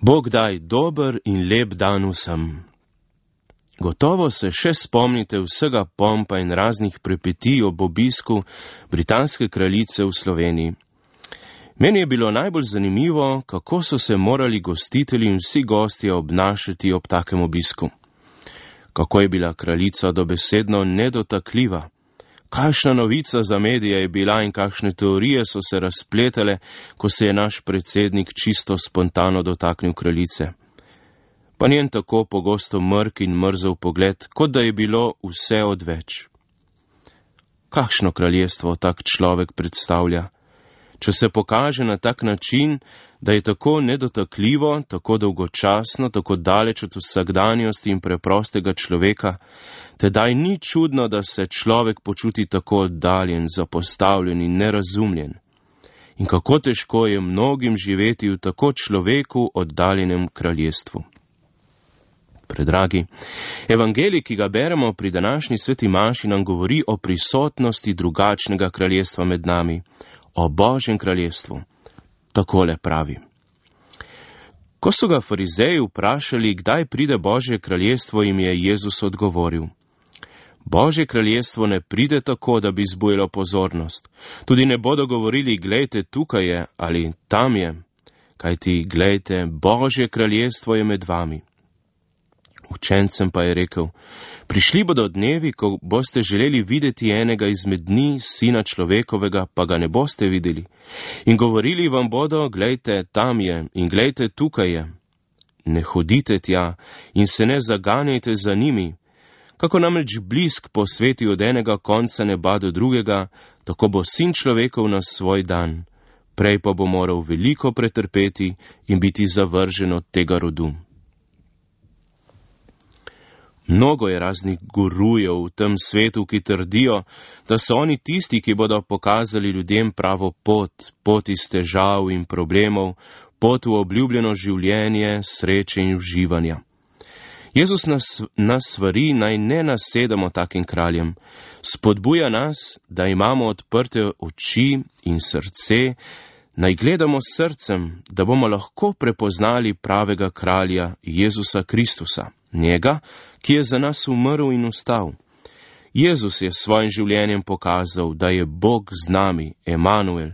Bog daj dober in lep dan vsem. Gotovo se še spomnite vsega pompa in raznih prepetij ob obisku britanske kraljice v Sloveniji. Meni je bilo najbolj zanimivo, kako so se morali gostitelji in vsi gostje obnašati ob takem obisku. Kako je bila kraljica dobesedno nedotakljiva. Kakšna novica za medije je bila in kakšne teorije so se razpletale, ko se je naš predsednik čisto spontano dotaknil kraljice. Pa njen tako pogosto mrk in mrzel pogled, kot da je bilo vse odveč. Kakšno kraljestvo tak človek predstavlja? Če se pokaže na tak način, da je tako nedotakljivo, tako dolgočasno, tako daleč od vsakdanjosti in preprostega človeka, tedaj ni čudno, da se človek počuti tako oddaljen, zapostavljen in nerazumljen. In kako težko je mnogim živeti v tako človeku oddaljenem kraljestvu. Predragi, evangelij, ki ga beremo pri današnji sveti maši, nam govori o prisotnosti drugačnega kraljestva med nami, o Božjem kraljestvu. Takole pravi. Ko so ga farizeji vprašali, kdaj pride Božje kraljestvo, jim je Jezus odgovoril. Božje kraljestvo ne pride tako, da bi zbujalo pozornost. Tudi ne bodo govorili, glejte, tukaj je ali tam je. Kajti, glejte, Božje kraljestvo je med vami. Učencem pa je rekel, prišli bodo dnevi, ko boste želeli videti enega izmed dni, sina človekovega, pa ga ne boste videli. In govorili vam bodo, glejte, tam je in glejte, tukaj je. Ne hodite tja in se ne zaganjajte za njimi. Kako namreč blisk posveti od enega konca neba do drugega, tako bo sin človekov na svoj dan. Prej pa bo moral veliko pretrpeti in biti zavržen od tega rodu. Mnogo je raznih gurujev v tem svetu, ki trdijo, da so oni tisti, ki bodo pokazali ljudem pravo pot iz težav in problemov, pot v obljubljeno življenje, sreče in uživanja. Jezus nas svari, naj ne nasedamo takim kraljem. Spodbuja nas, da imamo odprte oči in srce, naj gledamo s srcem, da bomo lahko prepoznali pravega kralja Jezusa Kristusa, njega, ki je za nas umrl in vstal. Jezus je s svojim življenjem pokazal, da je Bog z nami, Emanuel,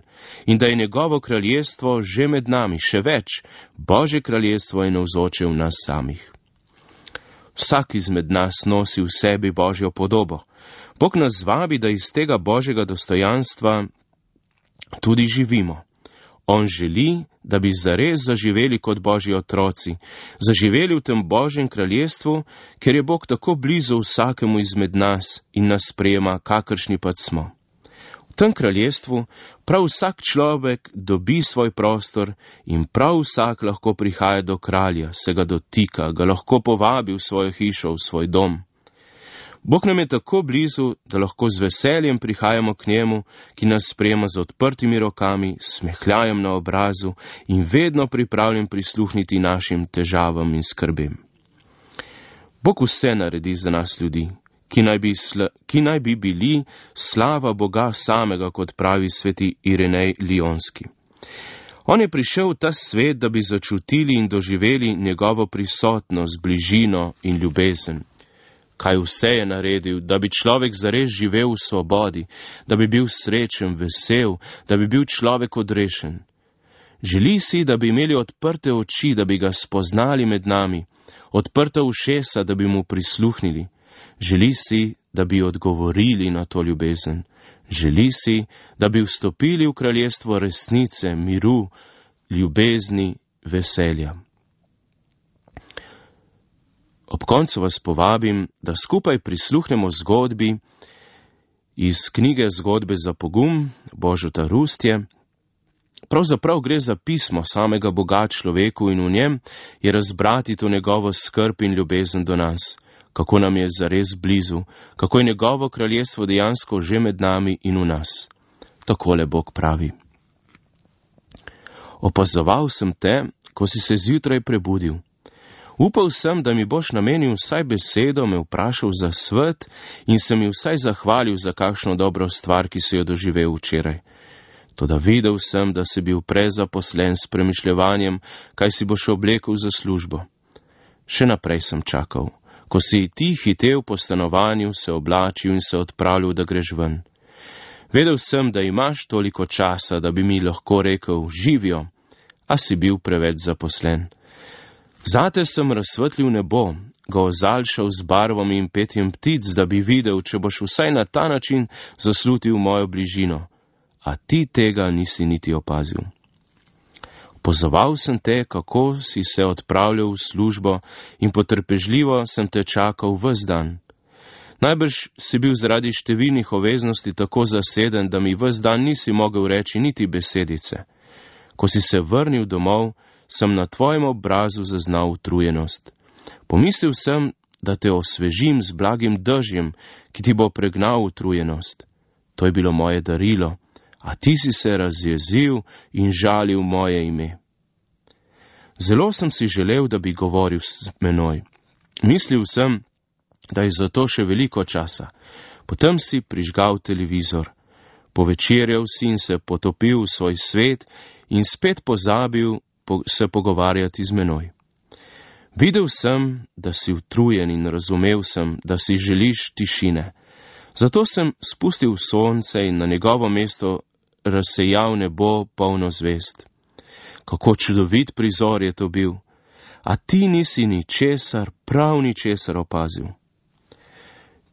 in da je njegovo kraljestvo že med nami, še več, Božje kraljestvo je navzoče v nas samih. Vsak izmed nas nosi v sebi Božjo podobo. Bog nas vabi, da iz tega Božjega dostojanstva tudi živimo. On želi, da bi zares zaživeli kot Božji otroci, zaživeli v tem Božjem kraljestvu, ker je Bog tako blizu vsakemu izmed nas in nas sprejema, kakršni pač smo. V tem kraljestvu prav vsak človek dobi svoj prostor in prav vsak lahko prihaja do kralja, se ga dotika, ga lahko povabi v svojo hišo, v svoj dom. Bog nam je tako blizu, da lahko z veseljem prihajamo k njemu, ki nas sprejema z odprtimi rokami, smehljajem na obrazu in vedno pripravljen prisluhniti našim težavam in skrbem. Bog vse naredi za nas ljudi, ki naj bi bili slava Boga samega, kot pravi sveti Irenej Lionski. On je prišel v ta svet, da bi začutili in doživeli njegovo prisotnost, bližino in ljubezen. Kaj vse je naredil, da bi človek zares živel v svobodi, da bi bil srečen, vesel, da bi bil človek odrešen. Želi si, da bi imeli odprte oči, da bi ga spoznali med nami, odprta ušesa, da bi mu prisluhnili. Želi si, da bi odgovorili na to ljubezen. Želi si, da bi vstopili v kraljestvo resnice, miru, ljubezni, veselja. Ob koncu vas povabim, da skupaj prisluhnemo zgodbi iz knjige Zgodbe za pogum Božota Rustje. Pravzaprav gre za pismo samega Boga človeku in v njem je razbrati to njegovo skrb in ljubezen do nas, kako nam je zares blizu, kako je njegovo kraljestvo dejansko že med nami in v nas. Takole Bog pravi. Opazoval sem te, ko si se zjutraj prebudil. Upal sem, da mi boš namenil vsaj besedo, me vprašal za svet in se mi vsaj zahvalil za kakšno dobro stvar, ki si jo doživel včeraj. Toda videl sem, da si bil prezaposlen s premišljevanjem, kaj si boš oblekel za službo. Še naprej sem čakal. Ko si ti hitel po stanovanju, se oblačil in se odpravljal, da greš ven. Vedel sem, da imaš toliko časa, da bi mi lahko rekel, živijo, a si bil preveč zaposlen. Zate sem razsvetlil nebo, ga ozaljšal z barvami in petjem ptic, da bi videl, če boš vsaj na ta način zaslutil mojo bližino, a ti tega nisi niti opazil. Opozoval sem te, kako si se odpravljal v službo in potrpežljivo sem te čakal ves dan. Najbrž si bil zaradi številnih obveznosti tako zaseden, da mi ves dan nisi mogel reči niti besedice. Ko si se vrnil domov, sem na tvojem obrazu zaznal utrujenost. Pomislil sem, da te osvežim z blagim dežjem, ki ti bo pregnal utrujenost. To je bilo moje darilo, a ti si se razjezil in žalil moje ime. Zelo sem si želel, da bi govoril s menoj. Mislil sem, da je za to še veliko časa. Potem si prižgal televizor. Povečerjal si in se potopil v svoj svet in spet pozabil se pogovarjati z menoj. Videl sem, da si utrujen in razumel sem, da si želiš tišine. Zato sem spustil sonce in na njegovo mesto razsejal nebo polno zvezd. Kako čudovit prizor je to bil, a ti nisi ničesar, prav ničesar opazil.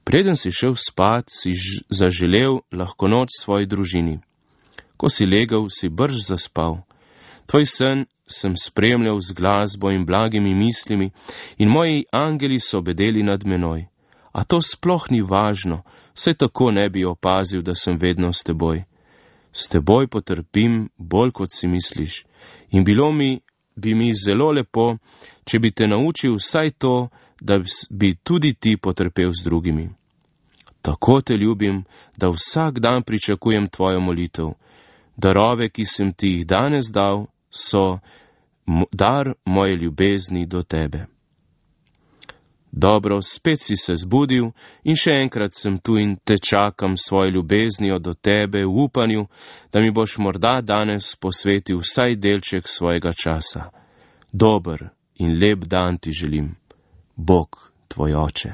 Preden si šel spat, si zaželel lahko noč svoji družini. Ko si legel, si brž zaspal. Tvoj sen sem spremljal z glasbo in blagimi mislimi in moji angeli so bedeli nad menoj. A to sploh ni važno, saj tako ne bi opazil, da sem vedno s teboj. S teboj potrpim bolj, kot si misliš, in bi mi zelo lepo, če bi te naučil vsaj to, da bi tudi ti potrpel z drugimi. Tako te ljubim, da vsak dan pričakujem tvojo molitev. Darove, ki sem ti jih danes dal, so dar moje ljubezni do tebe. Dobro, spet si se zbudil in še enkrat sem tu in te čakam svojo ljubeznijo do tebe v upanju, da mi boš morda danes posvetil vsaj delček svojega časa. Dober in lep dan ti želim. Bog, tvoj oče.